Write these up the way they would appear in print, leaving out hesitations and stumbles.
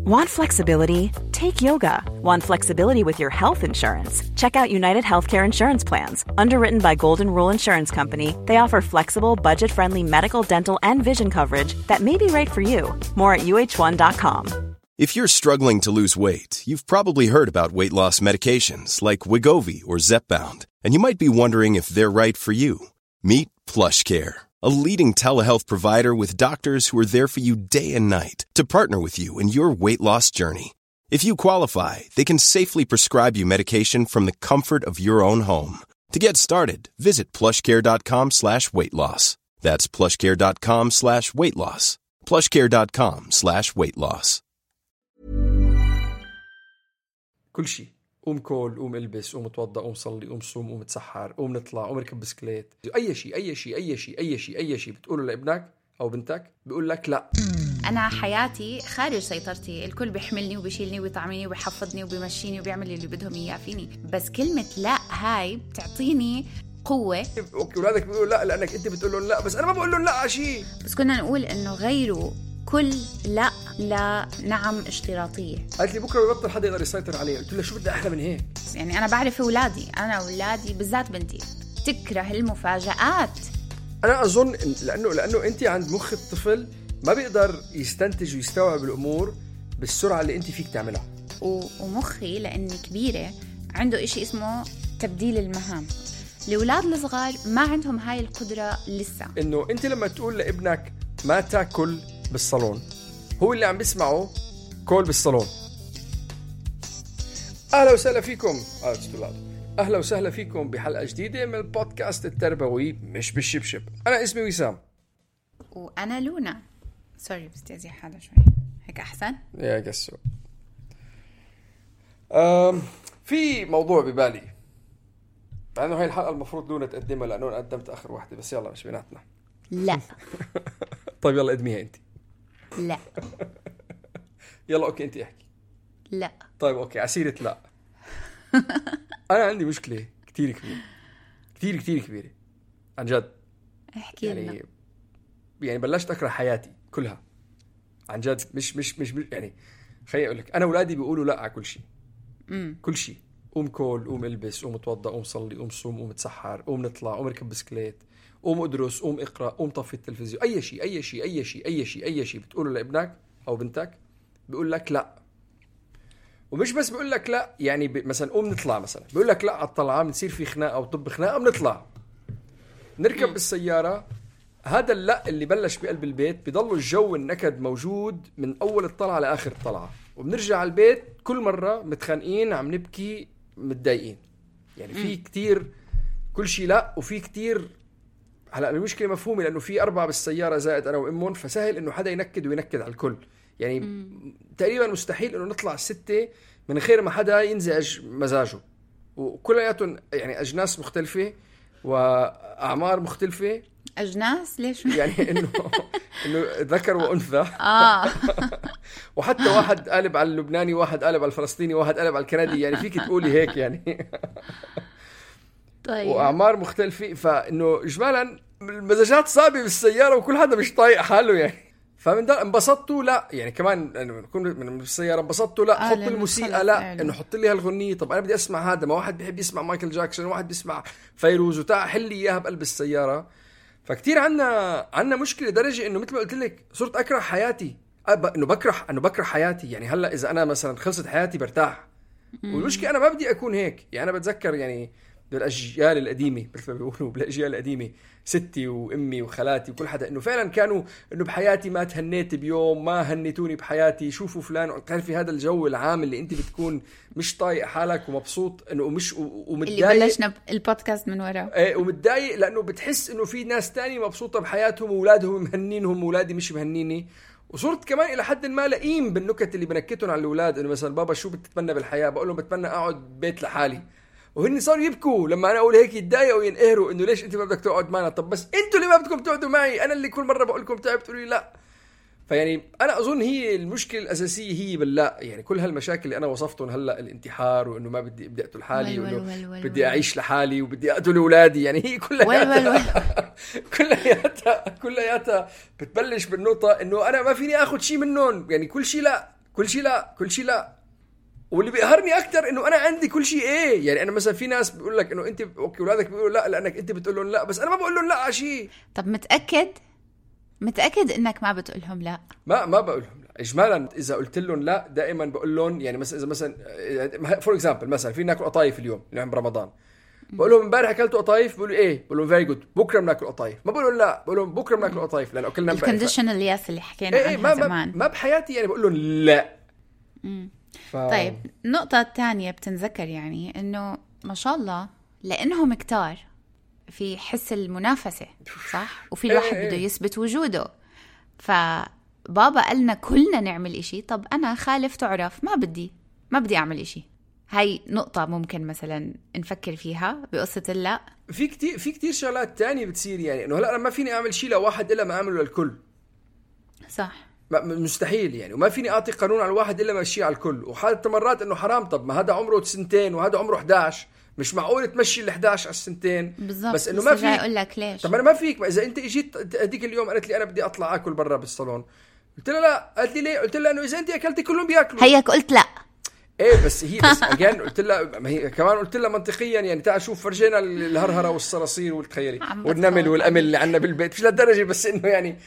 Want flexibility? Take yoga. Want flexibility with your health insurance? Check out United Healthcare Insurance Plans. Underwritten by Golden Rule Insurance Company, they offer flexible, budget-friendly medical, dental, and vision coverage that may be right for you. More at uh1.com. If you're struggling to lose weight, you've probably heard about weight loss medications like Wegovy or Zepbound, and you might be wondering if they're right for you. Meet PlushCare, a leading telehealth provider with doctors who are there for you day and night to partner with you in your weight loss journey. If you qualify, they can safely prescribe you medication from the comfort of your own home. To get started, visit plushcare.com/weightloss. That's plushcare.com/weightloss. plushcare.com/weightloss. كل شيء. قوم كول، قوم البس، قوم اتوضى، قوم صلي، قوم صوم، قوم اتسحر، قوم نطلع، قوم ركب بسكليت. أي شيء بتقوله لابنك أو بنتك بيقول لك لا. أنا حياتي خارج سيطرتي، الكل بيحملني وبيشيلني وبيطعمني وبيحفظني وبيمشيني وبيعمل اللي بدهم إياه فيني، بس كلمة لا هاي بتعطيني قوة. أوكي، ولادك بيقولوا لا لأنك أنت بتقول لهم لا، بس أنا ما بقول لهم لا عشي. بس كنا نقول إنه غيروا كل لا نعم اشتراطية. قالت لي بكرة بيبطل حدا يقدر يسيطر عليه. قلت له شو بدي أحلى من هيك؟ يعني أنا بعرف أولادي بالذات بنتي تكره المفاجآت. أنا أظن لأنه أنت عند مخ الطفل ما بيقدر يستنتج ويستوعب الأمور بالسرعة اللي أنت فيك تعملها. ومخي لأني كبيرة عنده إشي اسمه تبديل المهام. الأولاد الصغار ما عندهم هاي القدرة لسه. إنه أنت لما تقول لابنك ما تاكل بالصالون، هو اللي عم بيسمعه كول بالصالون. أهلا وسهلا فيكم أهلا وسهلا فيكم بحلقة جديدة من البودكاست التربوي مش بالشبشب. أنا اسمي وسام وأنا لونا. سوري بس تأذي حالة شوي هيك أحسن يا قسو. في موضوع ببالي، لأنه هاي الحلقة المفروض لونا تقدمها لأنه أنا قدمت آخر واحدة، بس يلا مش بيناتنا. لا طيب يلا قدميها أنت. لا يلا أوكي أنت احكي. لا طيب أوكي عسيرة لا. أنا عندي مشكلة كتير كبيرة كتير كبيرة عن جد. احكي يعني بلشت أكره حياتي كلها عن جد. مش يعني خليني أقول لك، أنا أولادي بيقولوا لا على كل شيء. كل شيء. قوم كول، قوم البس، قوم اتوضى، قوم صلي، قوم صوم، قوم اتسحر، قوم نطلع، قوم ركب بسكليت، قوم ادرس، قوم اقرأ، قوم طفي التلفزيون. أي شيء بتقوله لابنك أو بنتك بيقول لك لا. ومش بس بيقول لك لا، يعني مثلا قوم نطلع، مثلا بيقول لك لا على الطلعة، بنصير في خناقة أو طب خناقة، بنطلع نركب بالسيارة. هذا اللا اللي بلش بقلب البيت بيضل الجو النكد موجود من أول الطلعة لآخر الطلعة، وبنرجع على البيت كل مرة متخانقين، عم نبكي، متضايقين. يعني في كتير كل شيء لا، وفي كتير. هلا المشكلة مفهومة لأنه في 4 بالسيارة زائد أنا وإمون، فسهل إنه حدا ينكد على الكل. يعني تقريبا مستحيل إنه نطلع 6 من غير ما حدا ينزعج مزاجه. وكلياتهم يعني أجناس مختلفة وأعمار مختلفة. أجناس ليش؟ يعني إنه ذكر وأنثى. وحتى واحد قالب على اللبناني، واحد قالب على الفلسطيني، واحد قالب على الكندي. يعني فيك تقولي هيك يعني. طيب. وأعمار مختلفة، فإنه إجمالا المزاجات صعبة بالسيارة وكل حدا مش طايق حاله يعني. فمن ده انبسطتوا لا، يعني كمان نكون من السيارة انبسطتوا لا، حط الموسيقى لا، إنه حط لي هالغنية. طب أنا بدي أسمع هذا، ما واحد بيحب يسمع مايكل جاكسون، واحد بيسمع فيروز، وتاع حل لي إياها بقلب السيارة. فكتير عنا مشكلة درجة إنه مثل ما قلت لك صرت أكره حياتي. إنه بكره حياتي. يعني هلا إذا أنا مثلا خلصت حياتي برتاح. والمشكلة أنا ما بدي أكون هيك. يعني أنا بتذكر يعني بالأجيال القديمة، مثل ما بيقولوا بالأجيال القديمة، ستي وأمي وخالاتي وكل حدا، إنه فعلا كانوا إنه بحياتي ما تهنيت بيوم، ما هنيتوني بحياتي، شوفوا فلان. تعرفي هذا الجو العام اللي أنت بتكون مش طايق حالك ومبسوط إنه مش ومتضايق. اللي بلشنا البودكاست من ورا. إيه، ومتضايق لأنه بتحس إنه في ناس تاني مبسوطة بحياتهم وأولادهم مهنينهم وأولادي مش مهنيني. وصرت كمان إلى حد ما لئيم بالنكت اللي بنكتهم على الأولاد. إنه مثلا بابا شو بتتمنى بالحياة؟ بقول لهم بتمنى أقعد بيت لحالي. وهن صاروا يبكوا لما أنا أقول هيك، يتضايقوا وينقهروا إنه ليش أنت ما بدك تقعد معنا؟ طب بس أنتوا اللي ما بدكم تقعدوا معي، أنا اللي كل مرة بقول لكم تعب تقولوا لي لا. فيعني أنا أظن هي المشكلة الأساسية هي باللا. يعني كل هالمشاكل اللي أنا وصفتهم هلا، الانتحار، وإنه ما بدي أقتل حالي، وإنه بدي أعيش لحالي، وبدي أقتل أولادي. يعني هي كلها بتبلش بالنقطة إنه أنا ما فيني أخذ شيء منهم. يعني كل شيء لا، كل شيء لا، كل شيء لا. واللي بيقهرني اكتر انه انا عندي كل شيء ايه. يعني انا مثلا في ناس بيقول لك انه انت اوكي اولادك بيقولوا لا لانك انت بتقول لهم لا، بس انا ما بقول لهم لا على شيء. طب متأكد انك ما بتقول لهم لا؟ ما بقول لهم لا اجمالا. اذا قلت لهم لا دائما بقول لهم، يعني مثلا اذا مثلا فور اكزامبل مثلا في ناكل قطايف اليوم اللي عم برمضان، بقول لهم امبارح اكلتوا قطايف، بيقولوا ايه، بقول لهم فيري جود، بكره بناكل قطايف. ما بقول لهم لا، بقول لهم بكره بناكل قطايف لانه اكلنا امبارح. الكونديشنال ياس اللي حكينا عنها زمان. ما بحياتي يعني بقول لهم لا. طيب النقطة الثانية بتنذكر يعني انه ما شاء الله لانهم كتار في حس المنافسة، صح؟ وفي الواحد بده يثبت وجوده. فبابا قالنا كلنا نعمل اشي، طب انا خالف تعرف ما بدي اعمل اشي. هاي نقطة ممكن مثلا نفكر فيها بقصة اللا. في كتير شغلات تانية بتصير، يعني انه هلا انا ما فيني اعمل شيء لواحد الا ما اعمله للكل، صح؟ مستحيل يعني. وما فيني اعطي قانون على الواحد الا ما اشيه على الكل. وحتى مرات انه حرام، طب ما هذا عمره 2 وهذا عمره 11، مش معقول تمشي ال11 على 2. بالضبط. بس انه ما في اقول لك ليش. طب انا ما فيك. ما اذا انت اجيت هذيك اليوم قالت لي انا بدي اطلع اكل برا بالصالون، قلت لها لا. قالت لي ليه؟ قلت لها انه اذا انت اكلتي كلهم بياكلوا. هيك قلت لا. ايه بس هي بس اجان قلت لها، ما هي كمان قلت لها منطقيا يعني تعال شوف فرجينا الهرهره والصراصير والتخيلي والنمل والامل اللي عندنا بالبيت، مش للدرجه بس انه يعني.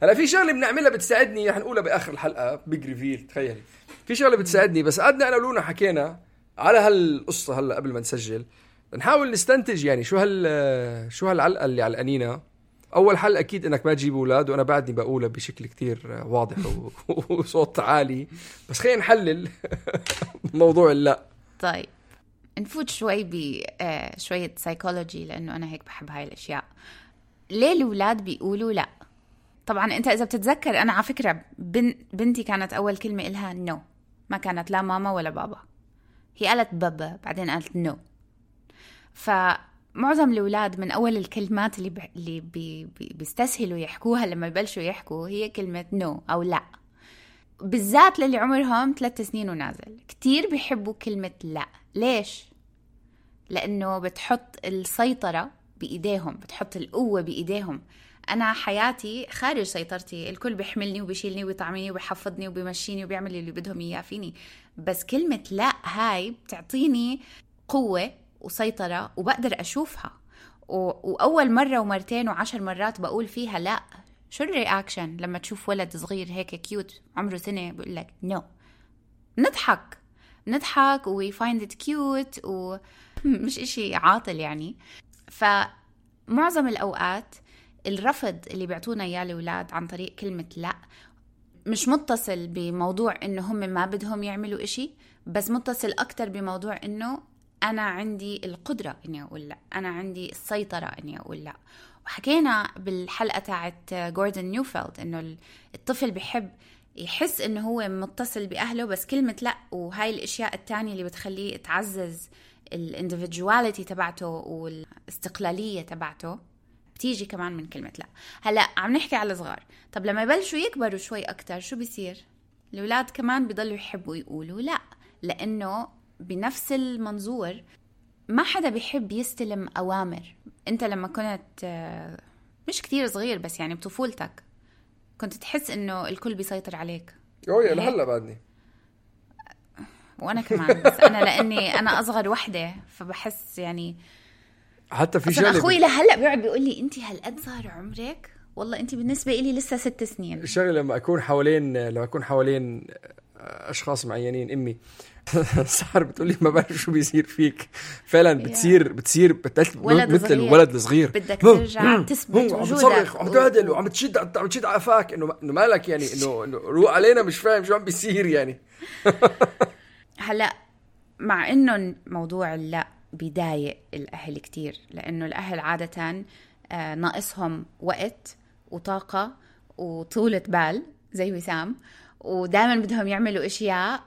هلا في شغله بنعملها بتساعدني، رح نقولها باخر الحلقه بيج ريفيل. تخيلي في شغله بتساعدني، بس قعدنا انا ولونا حكينا على هالقصه هلا قبل ما نسجل، نحاول نستنتج يعني شو هالعلقه اللي علقانينا. اول حل اكيد انك ما تجيب اولاد، وانا بعدني بقولها بشكل كتير واضح وصوت عالي، بس خلينا نحلل موضوع اللا. طيب نفوت شوي بشويه سايكولوجي، لانه انا هيك بحب هاي الاشياء. ليه الاولاد بيقولوا لا؟ طبعا انت اذا بتتذكر، انا على فكره بنتي كانت اول كلمه إلها نو، ما كانت لا ماما ولا بابا. هي قالت بابا بعدين قالت نو. فمعظم الأولاد من أول الكلمات اللي بيستسهلوا يحكوها لما يبلشوا يحكوا هي كلمة نو أو لا. بالذات للي عمرهم 3 سنين ونازل كتير بيحبوا كلمة لا. ليش؟ لأنه بتحط السيطرة بإيديهم، بتحط القوة بإيديهم. أنا حياتي خارج سيطرتي، الكل بيحملني وبيشيلني وبيطعمني وبيحفظني وبيمشيني وبيعمل اللي بدهم إياه فيني. بس كلمة لا هاي بتعطيني قوة وسيطرة وبقدر أشوفها. وأول مرة ومرتين و10 مرات بقول فيها لا. شو الرياكشن لما تشوف ولد صغير هيك كيوت عمره 1 سنة بقول لك نو؟ نضحك و we find it cute ومش إشي عاطل يعني. فمعظم الأوقات الرفض اللي بيعطونا إياه الأولاد عن طريق كلمة لا مش متصل بموضوع إنه هم ما بدهم يعملوا إشي، بس متصل أكتر بموضوع إنه أنا عندي القدرة إني أقول لا، أنا عندي السيطرة إني أقول لا. وحكينا بالحلقة تاعت جوردن نيوفيلد إنه الطفل بيحب يحس إنه هو متصل بأهله، بس كلمة لا وهاي الأشياء التانية اللي بتخليه تعزز الانديفيدواليتي تبعته والاستقلالية تبعته بتيجي كمان من كلمة لا. هلأ عم نحكي على الصغار. طب لما يبلشوا يكبروا شوي أكتر شو بيصير؟ الأولاد كمان بيضلوا يحبوا يقولوا لا، لأنه بنفس المنظور ما حدا بيحب يستلم أوامر. أنت لما كنت مش كتير صغير بس يعني بطفولتك كنت تحس إنه الكل بيسيطر عليك. يا لهلا بعدني. وأنا كمان، بس أنا لأني أنا أصغر وحدة فبحس يعني حتى في شغله أخوي لهلا بيقعد بيقول لي أنت هالقد صار عمرك، والله أنت بالنسبة إلي لسه 6 سنين. الشغله لما أكون حوالين أشخاص معينين، أمي صار بتقولي ما بعرف شو بيصير فيك فعلا. بتصير مثل الولد الصغير، بدك ترجع تثبت وجودك وعم تعدل وعم تشد على قفاك انه مالك يعني انه روق علينا، مش فاهم شو عم بيصير يعني. هلا مع انه موضوع لا بيضايق الاهل كتير، لانه الاهل عاده ناقصهم وقت وطاقه وطولة بال زي وسام، ودائما بدهم يعملوا اشياء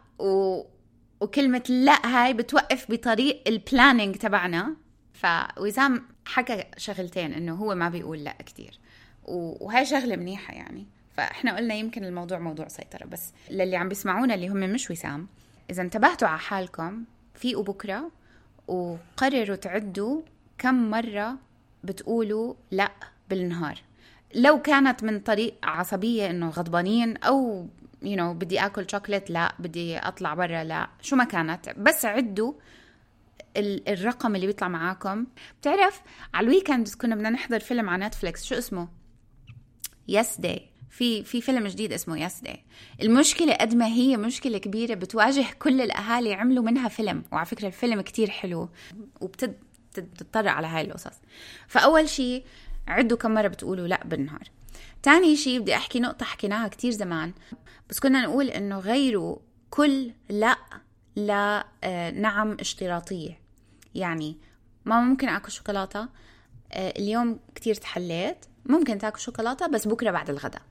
وكلمة لا هاي بتوقف بطريق البلانينج تبعنا. فوسام حكى شغلتين، انه هو ما بيقول لا كتير، وهاي شغلة منيحة يعني. فاحنا قلنا يمكن الموضوع موضوع سيطرة. بس للي عم بيسمعونا اللي هم مش وسام، اذا انتبهتوا على حالكم فيقوا بكرة وقرروا تعدوا كم مرة بتقولوا لا بالنهار. لو كانت من طريق عصبية انه غضبانين او بدي أكل شوكولات، لا بدي أطلع برا، لا شو ما كانت، بس عدوا الرقم اللي بيطلع معاكم. بتعرف على الويكند كنا بدنا نحضر فيلم على نتفليكس، شو اسمه؟ Yesterday. في فيلم جديد اسمه Yesterday. المشكلة قد ما هي مشكلة كبيرة بتواجه كل الأهالي، عملوا منها فيلم، وعلى فكرة الفيلم كتير حلو وبتتطرق على هاي القصص. فأول شيء عدوا كم مرة بتقولوا لا بالنهار. تاني شيء بدي أحكي نقطة حكيناها كتير زمان، بس كنا نقول إنه غيروا كل لا نعم اشتراطية. يعني ما ممكن أكل شوكولاتة اليوم كتير تحليت، ممكن تاكل شوكولاتة بس بكرة بعد الغداء.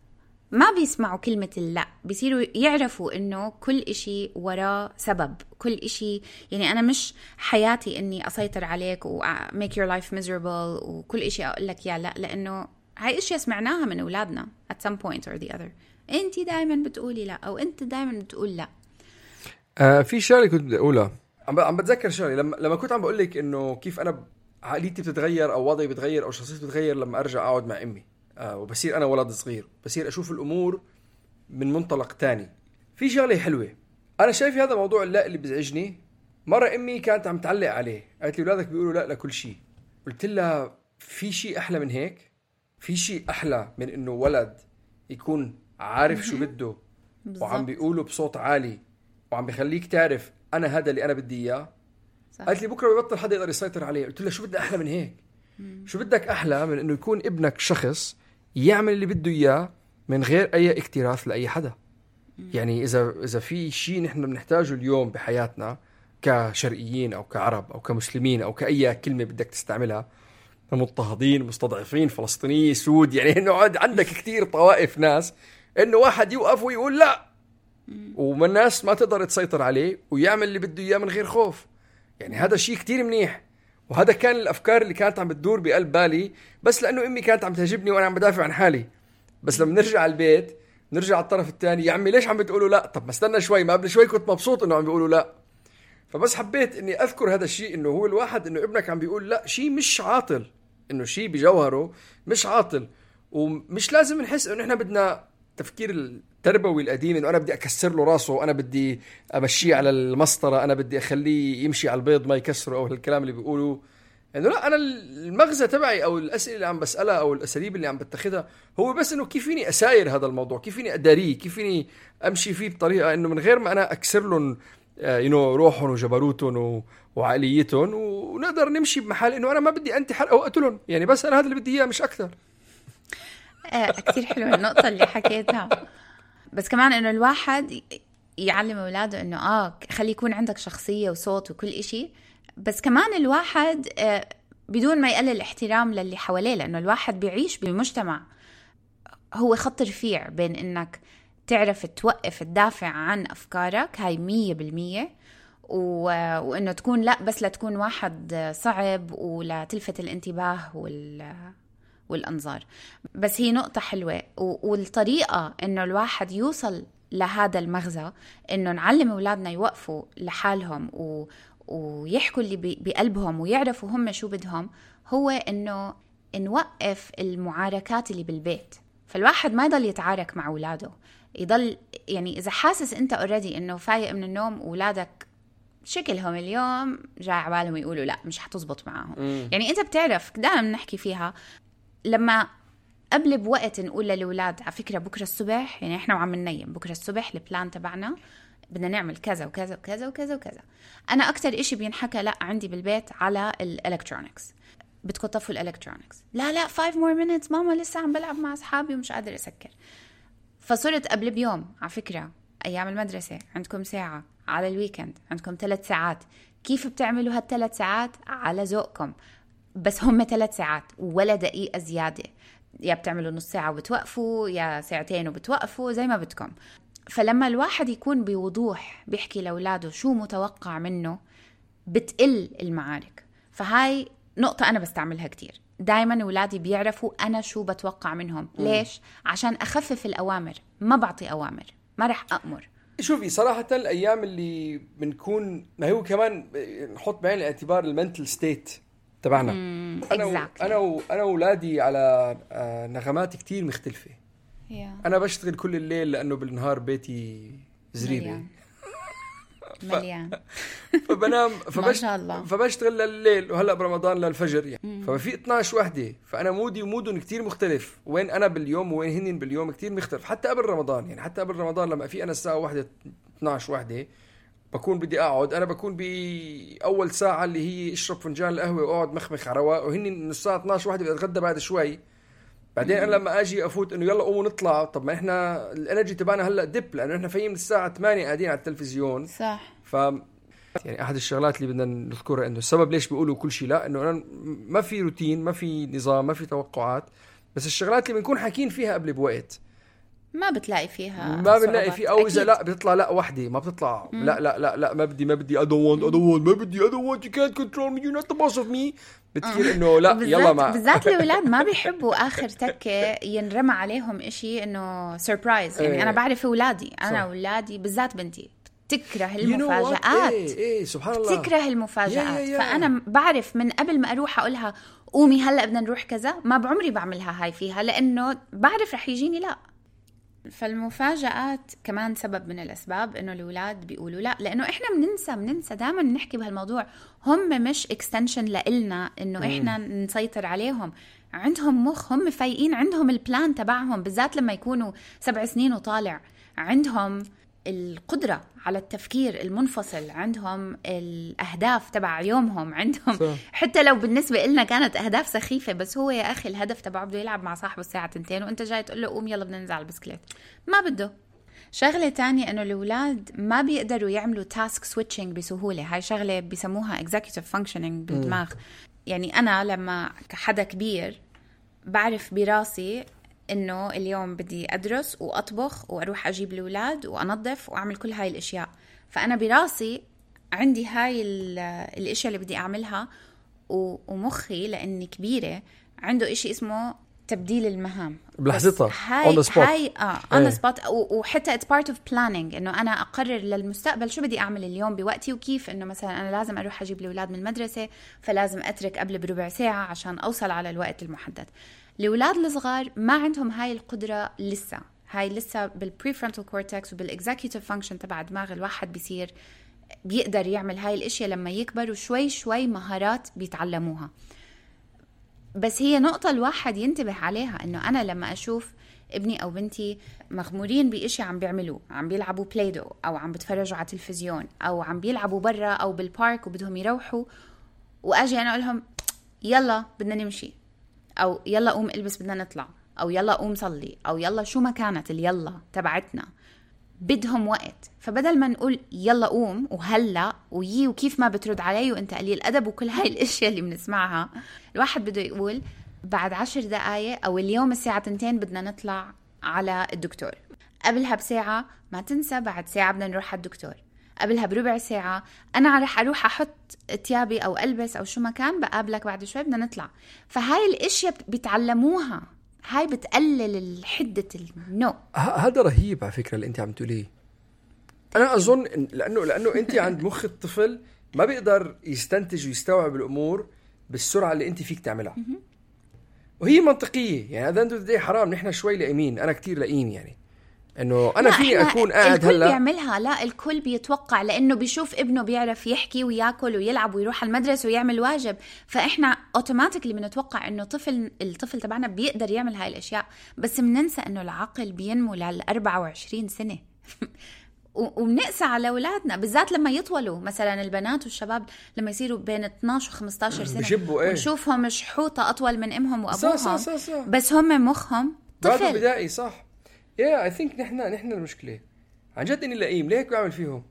ما بيسمعوا كلمة اللا، بيصيروا يعرفوا إنه كل إشي وراه سبب، كل إشي يعني أنا مش حياتي إني أسيطر عليك و make your life miserable وكل إشي أقول لك يا لا، لأنه هاي إشي سمعناها من أولادنا at some point or the other. أنتي دايما بتقولي لا، أو أنت دايما بتقول لا. في شغله كنت بدي اقولها، عم بتذكر شغله لما كنت عم بقول لك انه كيف انا عقليتي بتتغير او وضعي بتغير او شخصيتي بتتغير لما ارجع اقعد مع امي، وبصير انا ولد صغير، بصير اشوف الامور من منطلق تاني. في شغله حلوه انا شايف هذا موضوع اللا اللي بزعجني. مره امي كانت عم تعلق عليه، قالت لي اولادك بيقولوا لا لكل شيء. قلت لها في شيء احلى من هيك؟ في شيء احلى من انه ولد يكون عارف شو بده وعم بيقوله بصوت عالي وعم بيخليك تعرف انا هذا اللي انا بدي اياه؟ قالت لي بكره بيبطل حدا يقدر يسيطر عليه. قلت لها شو بدي احلى من هيك؟ شو بدك احلى من انه يكون ابنك شخص يعمل اللي بده اياه من غير اي اكتراث لاي حدا؟ يعني اذا في شيء نحن بنحتاجه اليوم بحياتنا كشرقيين او كعرب او كمسلمين او كاي كلمه بدك تستعملها، مضطهدين، مستضعفين، فلسطيني، سود، يعني انه عندك كتير طوائف ناس، انه واحد يوقف ويقول لا ومن الناس ما تقدر تسيطر عليه ويعمل اللي بده اياه من غير خوف. يعني هذا شيء كتير منيح، وهذا كان الافكار اللي كانت عم بتدور بقلب بالي، بس لانه امي كانت عم تهجبني وانا عم بدافع عن حالي. بس لما نرجع على البيت نرجع على الطرف الثاني، يا عمي ليش عم بتقولوا لا؟ طب ما استنى شوي، ما قبل شوي كنت مبسوط انه عم بيقولوا لا. فبس حبيت اني اذكر هذا الشيء، انه هو الواحد انه ابنك عم بيقول لا شيء مش عاطل، انه شيء بجوهره مش عاطل، ومش لازم نحس انه احنا بدنا تفكير التربوي القديم انه انا بدي اكسر له راسه وانا بدي امشيه على المسطره، انا بدي اخليه يمشي على البيض ما يكسره، او الكلام اللي بيقولوا انه لا. انا المغزى تبعي او الاسئله اللي عم بسالها او الاساليب اللي عم بتخذها هو بس انه كيف فيني اساير هذا الموضوع، كيف فيني اداريه، كيف فيني امشي فيه بطريقه انه من غير ما انا اكسر لهم روحهم وجبروتهم وعقليتهم، ونقدر نمشي بمحل انه انا ما بدي انتحر او اقتلهم، يعني بس انا هذا اللي بدي اياه مش اكثر. كتير حلوه النقطه اللي حكيتها. بس كمان انه الواحد يعلم اولاده انه خلي يكون عندك شخصيه وصوت وكل إشي، بس كمان الواحد بدون ما يقلل الاحترام للي حواليه، لانه الواحد بيعيش بمجتمع هو خط رفيع بين انك تعرف توقف تدافع عن افكارك، هاي 100%، وانه تكون لا بس لا تكون واحد صعب ولا تلفت الانتباه والأنظار. بس هي نقطة حلوة، والطريقة إنه الواحد يوصل لهذا المغزى إنه نعلم أولادنا يوقفوا لحالهم ويحكوا اللي بقلبهم ويعرفوا هم شو بدهم، هو إنه نوقف المعاركات اللي بالبيت. فالواحد ما يضل يتعارك مع أولاده، يضل يعني إذا حاسس أنت already إنه فايق من النوم أولادك شكلهم اليوم جاي عبالهم يقولوا لا مش حتزبط معاهم. يعني أنت بتعرف دائما نحكي فيها لما قبل بوقت نقول للأولاد على فكرة بكرة الصبح، يعني إحنا وعم ننيم بكرة الصبح البلان تبعنا بدنا نعمل كذا وكذا وكذا وكذا وكذا. أنا أكتر إشي بينحكى لا عندي بالبيت على الإلكترونيكس، بدكم تطفوا الإلكترونيكس. لا 5 more minutes ماما لسه عم بلعب مع أصحابي ومش قادر أسكر. فصرت قبل بيوم على فكرة أيام المدرسة عندكم ساعة، على الويكند عندكم 3 ساعات، كيف بتعملوا هال3 ساعات على ذوقكم، بس هم 3 ساعات ولا دقيقة زيادة، يا بتعملوا نص ساعة وبتوقفوا يا ساعتين وبتوقفوا زي ما بدكم. فلما الواحد يكون بوضوح بيحكي لأولاده شو متوقع منه بتقل المعارك. فهاي نقطة أنا بستعملها كتير، دايما أولادي بيعرفوا أنا شو بتوقع منهم. ليش؟ عشان أخفف الأوامر، ما بعطي أوامر، ما رح أأمر. شوفي صراحة الأيام اللي بنكون ما هو كمان نحط بعين الاعتبار المنتل ستيت تبعنا. أنا وأولادي على نغمات كتير مختلفة، انا بشتغل كل الليل لانه بالنهار بيتي زريبه مليان فبنام ما شاء الله. فبشتغل لليل، وهلا برمضان للفجر يعني. ففي 12 وحده، فانا مودي ومودهم كتير مختلف، وين انا باليوم وين هن باليوم كتير مختلف. حتى قبل رمضان يعني، حتى قبل رمضان لما في انا الساعه 1 12 وحده بكون بدي اقعد، انا بكون باول ساعه اللي هي اشرب فنجان القهوه واقعد مخمخ على رواق، وهن من الساعه 12 وحده بدي اتغدى بعد شوي. بعدين انا لما اجي افوت انه يلا قوموا نطلع، طب ما احنا الانرجي تبعنا هلا دب، لانه احنا فايين من الساعه 8 قاعدين على التلفزيون. صح. يعني احد الشغلات اللي بدنا نذكرها انه السبب ليش بيقولوا كل شيء لا، انه أنا ما في روتين، ما في نظام، ما في توقعات، بس الشغلات اللي بنكون حاكين فيها قبل بوقت ما بتلاقي فيها، ما بنلاقي فيه، او اذا لا بتطلع لا وحده ما بتطلع لا لا لا لا ما بدي I don't want you can't control me, you're not the boss of me. بتصير انه لا يلا ما بالذات الاولاد ما بيحبوا اخر تكه ينرمى عليهم إشي انه سربرايز يعني. انا بعرف اولادي، انا اولادي بالذات بنتي تكره المفاجآت. سبحان الله تكره المفاجآت. فانا بعرف من قبل ما اروح اقولها قومي هلا بدنا نروح كذا، ما بعمري بعملها هاي فيها، لانه بعرف رح يجيني لا. فالمفاجآت كمان سبب من الأسباب إنه الأولاد بيقولوا لا، لأنه إحنا بننسى دائما نحكي بهالموضوع. هم مش إكستنشن لإلنا إنه إحنا نسيطر عليهم، عندهم مخ، هم فايقين، عندهم البلان تبعهم، بالذات لما يكونوا 7 سنين وطالع، عندهم القدرة على التفكير المنفصل، عندهم الأهداف تبع يومهم، عندهم صح. حتى لو بالنسبة لنا كانت أهداف سخيفة، بس هو يا أخي الهدف تبعه بده يلعب مع صاحبه الساعة 2 وانت جاي تقول له قوم يلا بدنا ننزل على البسكليت، ما بده. شغلة تانية إنه الأولاد ما بيقدروا يعملوا تاسك سويتشنج بسهولة. هاي شغلة بيسموها executive functioning بالدماغ. يعني أنا لما كحدا كبير بعرف براسي إنه اليوم بدي أدرس وأطبخ وأروح أجيب الأولاد وأنظف وأعمل كل هاي الأشياء، فأنا براسي عندي هاي الأشياء اللي بدي أعملها، ومخي لأني كبيرة عنده إشي اسمه تبديل المهام بلحظتها on the spot. وحتى it's part of planning، إنه أنا أقرر للمستقبل شو بدي أعمل اليوم بوقتي، وكيف إنه مثلا أنا لازم أروح أجيب الأولاد من المدرسة، فلازم أترك قبل بربع ساعة عشان أوصل على الوقت المحدد. الأولاد الصغار ما عندهم هاي القدرة لسه، هاي لسه بالprefrontal cortex وبالexecutive function تبع دماغ الواحد بيقدر يعمل هاي الاشياء لما يكبر، وشوي شوي مهارات بيتعلموها. بس هي نقطة الواحد ينتبه عليها، انه انا لما اشوف ابني او بنتي مغمورين باشي عم بيعملوه، عم بيلعبوا بلايدو او عم بتفرجوا على التلفزيون او عم بيلعبوا برا او بالبارك وبدهم يروحوا، واجي انا اقولهم يلا بدنا نمشي، او يلا قوم البس بدنا نطلع، او يلا قوم صلي، او يلا شو ما كانت اليلا تبعتنا، بدهم وقت. فبدل ما نقول يلا قوم وهلا وكيف ما بترد علي وانت قليل ادب وكل هاي الاشياء اللي بنسمعها، الواحد بده يقول بعد 10 دقايق، او اليوم الساعة 2 بدنا نطلع على الدكتور، قبلها بساعة ما تنسى بعد ساعة بدنا نروح على الدكتور، قبلها بربع ساعة أنا رح أروح أحط تيابي أو ألبس أو شو ما كان، بقابلك بعد شوي بدنا نطلع. فهاي الأشياء بيتعلموها، هاي بتقلل حدة النو. هذا رهيب على فكرة اللي أنت عم تقوليه. أنا أظن لأنه أنت عند مخ الطفل ما بيقدر يستنتج ويستوعب الأمور بالسرعة اللي أنت فيك تعملها، وهي منطقية. يعني هذا أنت حرام نحن شوي لئيمين، أنا كتير لئيم، يعني انه انا فيني اكون قاعد هلا بيعملها. لا، الكل بيتوقع، لانه بيشوف ابنه بيعرف يحكي وياكل ويلعب ويروح المدرسه ويعمل واجب، فاحنا اوتوماتيكلي بنتوقع انه الطفل تبعنا بيقدر يعمل هاي الاشياء. بس بننسى انه العقل بينمو لل 24 سنه وبنقسى على اولادنا، بالذات لما يطولوا. مثلا البنات والشباب لما يصيروا بين 12 و 15 سنه ونشوفهم شحوطه اطول من امهم وابوهم، صح. بس هم مخهم طفل بدائي، صح. I think نحن المشكلة عن جد إني لئيم. ليه هيك بعمل فيهم؟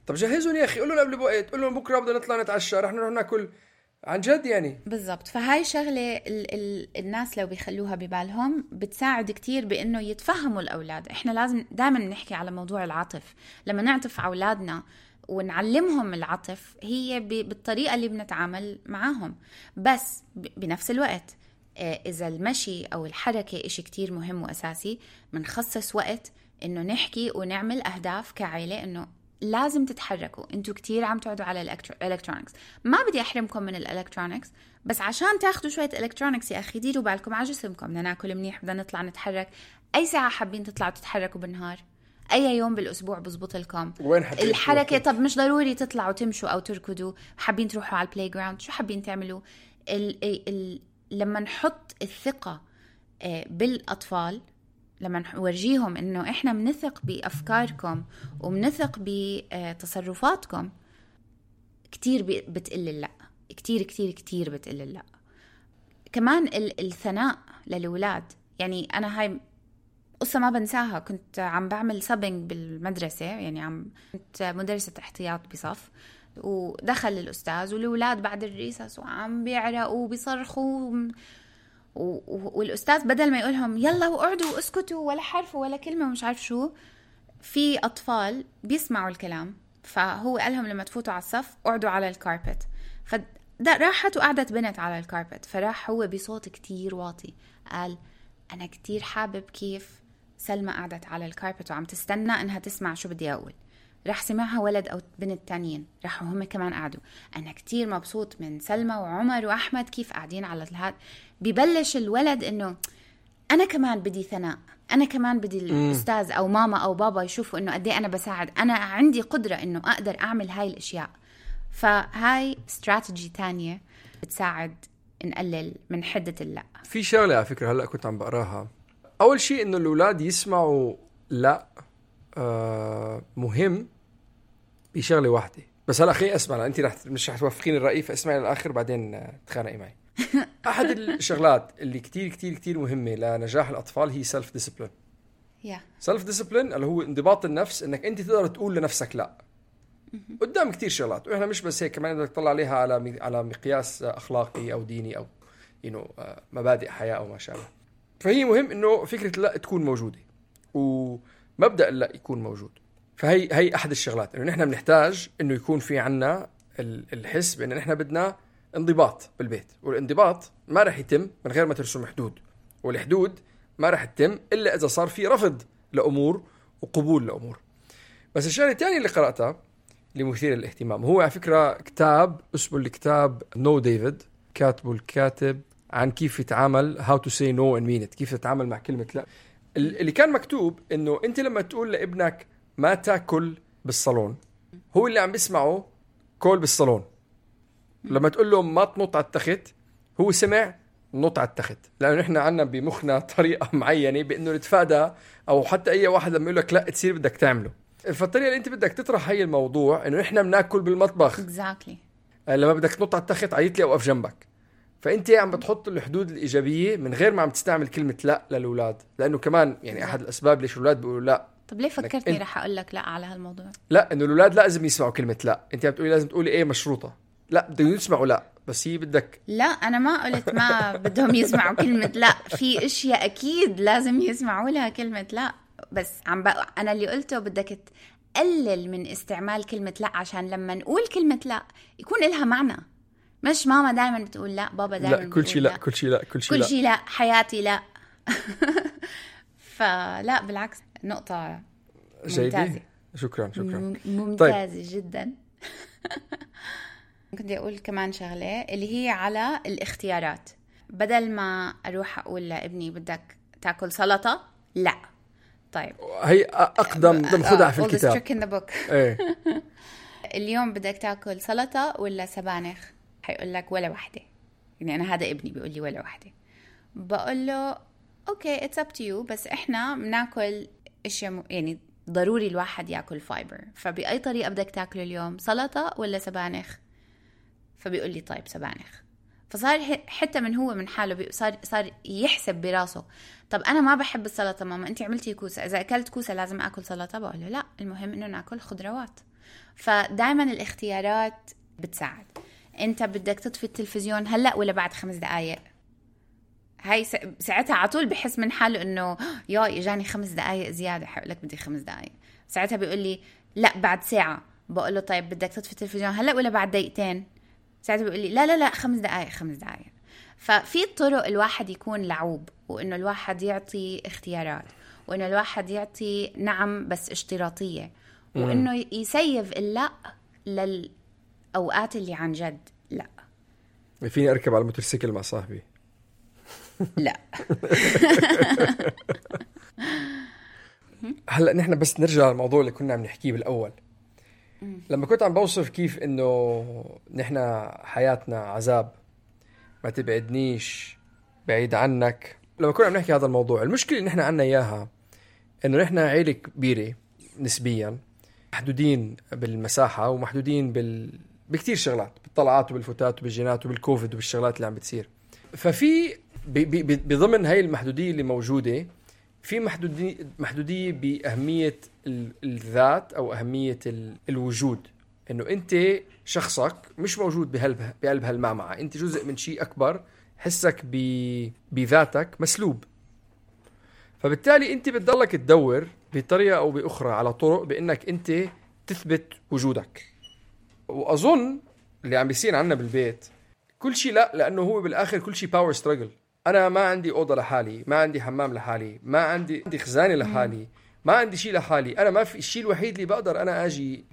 طب جهزون يا أخي، قول لهم قبل بوقت، قول لهم بكرة بدنا نطلع نتعشى، رح نروح ناكل، عن جد يعني. بالضبط. فهاي شغلة الناس لو بيخلوها ببالهم بتساعد كتير بإنه يتفهموا الأولاد. إحنا لازم دائما نحكي على موضوع العطف. لما نعطف على أولادنا ونعلمهم العطف، هي بالطريقة اللي بنتعامل معاهم، بس بنفس الوقت إذا المشي أو الحركة إشي كتير مهم وأساسي، منخصص وقت إنه نحكي ونعمل أهداف كعائلة، إنه لازم تتحركوا. أنتوا كتير عم تقعدوا على الإلكترونيكس، ما بدي أحرمكم من الإلكترونيكس، بس عشان تاخدوا شوية إلكترونيكس يا أخي ديروا بالكم على جسمكم. بدنا ناكل منيح، بدنا نطلع نتحرك. أي ساعة حابين تطلعوا تتحركوا بالنهار؟ أي يوم بالأسبوع بزبط لكم وين الحركة؟ طب مش ضروري تطلعوا تمشوا أو تركضوا، حابين تروحوا على البلاي جراوند، شو حابين تعملوا؟ لما نحط الثقة بالأطفال، لما نورجيهم إنه إحنا منثق بأفكاركم ومنثق بتصرفاتكم، كتير بتقل اللأ، كتير كتير كتير بتقل اللأ. كمان الثناء للأولاد. يعني أنا هاي قصة ما بنساها. كنت عم بعمل سابينج بالمدرسة، يعني كنت مدرسة احتياط بصف، ودخل الأستاذ والأولاد بعد الريسس وعم بيعرقوا وبيصرخوا والأستاذ بدل ما يقولهم يلا وقعدوا واسكتوا ولا حرف ولا كلمة ومش عارف شو، في أطفال بيسمعوا الكلام، فهو قالهم لما تفوتوا على الصف قعدوا على الكاربت. راحت وقعدت بنت على الكاربت، فراح هو بصوت كتير واطي قال أنا كتير حابب كيف سلمى قعدت على الكاربت وعم تستنى إنها تسمع شو بدي أقول. راح سمعها ولد أو بنت تانيين، راحوا هم كمان قعدوا. أنا كتير مبسوط من سلمى وعمر وأحمد كيف قاعدين على الهاد. ببلش الولد إنه أنا كمان بدي ثناء، أنا كمان بدي الأستاذ أو ماما أو بابا يشوفوا إنه قدي أنا بساعد، أنا عندي قدرة إنه أقدر أعمل هاي الأشياء. فهاي استراتيجي تانية بتساعد نقلل من حدة اللأ. في شغلة على فكرة هلأ كنت عم بقراها. أول شيء إنه الأولاد يسمعوا لأ مهم بشغلة واحدة بس. هلأ خليني أسمع، أنت مش رح توافقين الرأي، فاسمعي للآخر بعدين تخانقي معي. أحد الشغلات اللي كتير كتير كتير مهمة لنجاح الأطفال هي سيلف ديسيبلين. سيلف ديسيبلين اللي هو انضباط النفس، إنك أنت تقدر تقول لنفسك لأ قدام كتير شغلات، وإحنا مش بس هيك، كمان بدك تطلع عليها على مقياس أخلاقي أو ديني أو مبادئ حياة أو ما شابه. فهي مهم إنه فكرة لا تكون موجودة ومبدأ لا يكون موجود. فهي أحد الشغلات إنه نحن بنحتاج إنه يكون في عنا الحس بإن نحن بدنا انضباط بالبيت، والانضباط ما رح يتم من غير ما ترسم حدود، والحدود ما رح تتم إلا إذا صار في رفض لأمور وقبول لأمور. بس الشغلة الثانية اللي قرأتها اللي مثير للاهتمام هو على فكرة كتاب اسمه الكتاب نو ديفيد، كاتبه الكاتب عن كيف يتعامل how to say no and mean it، كيف تتعامل مع كلمة لا. اللي كان مكتوب إنه أنت لما تقول لابنك ما تاكل بالصالون، هو اللي عم بيسمعه كل بالصالون. لما تقول له ما تنط على التخت، هو سمع نط على التخت، لأنه نحن عنا بمخنا طريقة معينة بأنه نتفادى، أو حتى أي واحد لما يقول لك لا تصير بدك تعمله. فالطريقة اللي أنت بدك تطرح هاي الموضوع إنه نحن بناكل بالمطبخ exactly. لما بدك تنط على التخت عيط لي أوقف جنبك. فأنت عم بتحط الحدود الإيجابية من غير ما عم تستعمل كلمة لا للأولاد، لأنه كمان يعني أحد الأسباب ليش الأولاد بيقولوا لا. طب ليه فكرتني رح أقول لك لا على هالموضوع؟ لا، إنه الأولاد لازم يسمعوا كلمة لا. أنت عم بتقولي لازم تقولي إيه مشروطة، لا بدهم يسمعوا لا، بس هي بدك. لا أنا ما قلت ما بدهم يسمعوا كلمة لا، في أشياء أكيد لازم يسمعوا لها كلمة لا، بس أنا اللي قلته بدك تقلل من استعمال كلمة لا، عشان لما نقول كلمة لا يكون لها معنى. مش ماما دائما بتقول لا، بابا دائما لا كل شيء لا، كل شيء لا، كل شيء لا، حياتي لا. فلا بالعكس، نقطة ممتازة. شكرا ممتازة طيب. جدا. كنت أقول كمان شغلة اللي هي على الاختيارات. بدل ما أروح أقول لابني بدك تاكل سلطة، لا طيب هي أقدم خدعة في الكتاب. إيه. اليوم بدك تاكل سلطة ولا سبانخ؟ حيقول لك ولا واحدة. يعني أنا هذا ابني بيقول لي ولا واحدة. بقول له أوكي it's up to you، بس إحنا بناكل أشياء يعني ضروري الواحد يأكل فايبر، فبأي طريقة بدك تاكله اليوم، سلطة ولا سبانخ؟ فبيقول لي طيب سبانخ. فصار حتى من هو من حاله صار يحسب براسه، طب أنا ما بحب السلطة ماما، أنت عملتي كوسة، إذا أكلت كوسة لازم أكل سلطة؟ بقول له لا، المهم إنه نأكل خضروات. فدايما الاختيارات بتساعد. أنت بدك تطفي التلفزيون هلأ ولا بعد 5 دقايق؟ هاي ساعتها عطول بحس من حاله إنه يا إجاني 5 دقايق زيادة، حقول لك بدي 5 دقايق. ساعتها بيقول لي لا بعد ساعة. بقول له طيب بدك تطفي التلفزيون هلأ ولا بعد 2 دقايق؟ ساعتها بيقول لي لا 5 دقايق 5 دقايق. ففي طرق الواحد يكون لعوب، وإنه الواحد يعطي اختيارات، وإنه الواحد يعطي نعم بس اشتراطية، وإنه يسيف اللا للأوقات اللي عن جد لا. فيني أركب على الموتوسيكل مع صاحبي؟ لا. هلأ نحن بس نرجع للموضوع اللي كنا عم نحكيه بالأول. لما كنت عم بوصف كيف إنه نحن حياتنا عذاب، ما تبعدنيش بعيد عنك. لما كنا عم نحكي هذا الموضوع، المشكلة اللي نحن عنا إياها إنه نحن عائلة كبيرة نسبيا، محدودين بالمساحة ومحدودين بكتير شغلات، بالطلعات وبالفتات وبالجينات وبالكوفيد وبالشغلات اللي عم بتصير. ففي بضمن هاي المحدودية اللي موجودة في محدودية بأهمية الذات أو أهمية الوجود، إنه أنت شخصك مش موجود بقلب هالمعمعة، أنت جزء من شيء أكبر، حسك بذاتك مسلوب. فبالتالي أنت بتضلك تدور بطريقة أو بأخرى على طرق بأنك أنت تثبت وجودك. وأظن اللي عم بيصير عنا بالبيت كل شيء لأنه هو بالآخر كل شيء باور ستراجل. أنا ما عندي أوضة لحالي، ما عندي حمام لحالي، ما عندي خزانة لحالي، ما عندي شيء لحالي. أنا ما في الشيء الوحيد اللي بقدر أنا أجي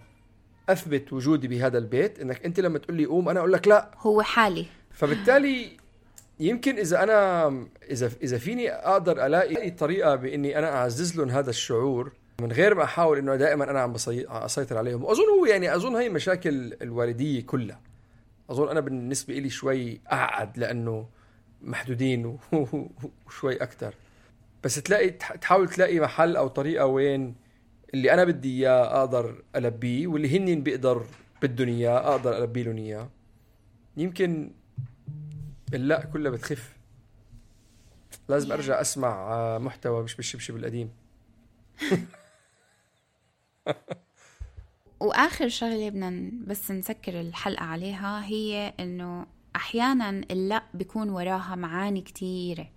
أثبت وجودي بهذا البيت إنك أنت لما تقول لي قوم أنا أقول لك لا، هو حالي. فبالتالي يمكن إذا فيني أقدر ألاقي طريقة بإني أنا أعزز لهم هذا الشعور من غير ما أحاول إنه دائما أنا عم أسيطر عليهم. أظن هي مشاكل الوالدية كلها. أظن أنا بالنسبة إلي شوي أعقد لأنه محدودين وشوي أكتر، بس تحاول تلاقي محل أو طريقة وين اللي أنا بدي إياه أقدر ألبيه، واللي هنين بدهم إياه أقدر ألبي لهم إياه. يمكن لا كلها بتخف. لازم أرجع أسمع محتوى مش بالشبشب القديم. وآخر شغلة بدنا بس نسكر الحلقة عليها هي إنه أحياناً اللا بيكون وراها معاني كتيرة،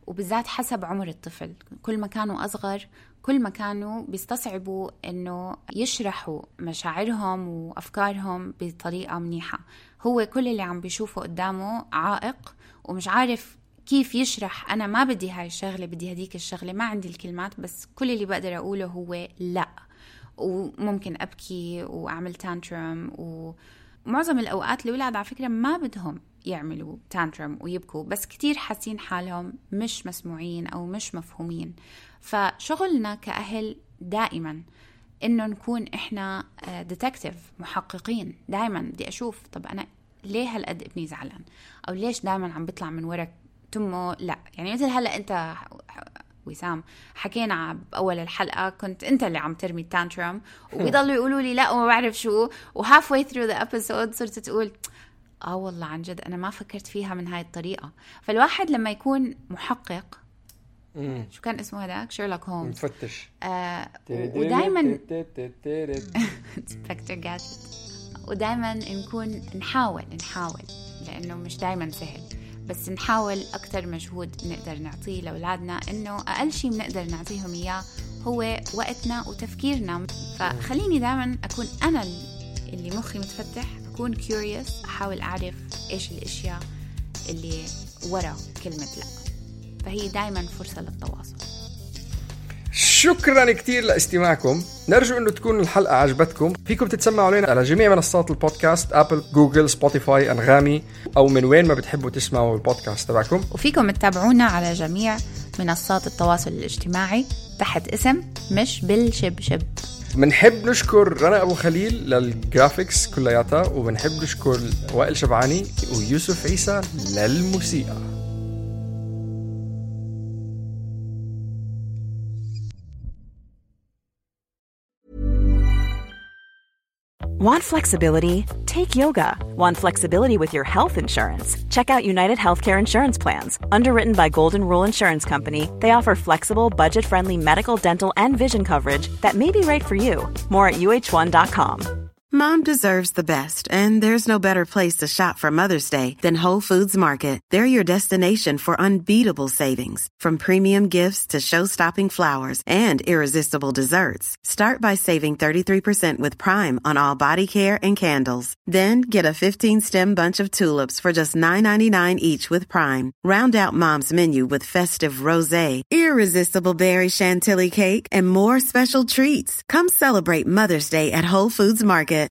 وبالذات حسب عمر الطفل. كل ما كانوا أصغر كل ما كانوا بيستصعبوا إنه يشرحوا مشاعرهم وأفكارهم بطريقة منيحة. هو كل اللي عم بيشوفه قدامه عائق ومش عارف كيف يشرح أنا ما بدي هاي الشغلة، بدي هديك الشغلة، ما عندي الكلمات، بس كل اللي بقدر أقوله هو لا. وممكن أبكي وأعمل تانترم. ومعظم الأوقات الأولاد على فكرة ما بدهم يعملوا تانترم ويبكوا، بس كتير حاسين حالهم مش مسموعين أو مش مفهومين. فشغلنا كأهل دائما إنه نكون إحنا ديتكتيف، محققين. دائما بدي أشوف طب أنا ليه هالقد ابني زعلان، أو ليش دائما عم بيطلع من وراك تمه لا. يعني مثل هلأ أنت وسام حكينا بأول الحلقة كنت أنت اللي عم ترمي التانترم وبيضلوا يقولوا لي لا وما بعرف شو، halfway through the episode صرت تقول والله عن جد أنا ما فكرت فيها من هاي الطريقة. فالواحد لما يكون محقق، شو كان اسمه هذاك؟ شيرلوك هومز، مفتش، ودايما سبكتر جادجت، ودايما نحاول لأنه مش دايما سهل، بس نحاول أكتر مجهود نقدر نعطيه لأولادنا. إنه أقل شيء بنقدر نعطيهم إياه هو وقتنا وتفكيرنا. فخليني دائما أكون أنا اللي مخي متفتح، أكون curious، أحاول أعرف إيش الأشياء اللي وراء كلمة لا. فهي دائما فرصة للتواصل. شكرا كتير لاستماعكم. نرجو أنه تكون الحلقة عجبتكم. فيكم تتسمعوا علينا على جميع منصات البودكاست، أبل، جوجل، سبوتيفاي، أنغامي، أو من وين ما بتحبوا تسمعوا البودكاست تبعكم. وفيكم تتابعونا على جميع منصات التواصل الاجتماعي تحت اسم مش بالشبشب. بنحب نشكر رنا أبو خليل للجرافيكس كلياتها، وبنحب نشكر وائل شبعاني ويوسف عيسى للموسيقى. Want flexibility? Take yoga. Want flexibility with your health insurance? Check out United Healthcare Insurance Plans. Underwritten by Golden Rule Insurance Company, they offer flexible, budget-friendly medical, dental, and vision coverage that may be right for you. More at uh1.com. Mom deserves the best, and there's no better place to shop for Mother's Day than Whole Foods Market. They're your destination for unbeatable savings, from premium gifts to show-stopping flowers and irresistible desserts. Start by saving 33% with Prime on all body care and candles. Then get a 15-stem bunch of tulips for just $9.99 each with Prime. Round out Mom's menu with festive rosé, irresistible berry chantilly cake, and more special treats. Come celebrate Mother's Day at Whole Foods Market.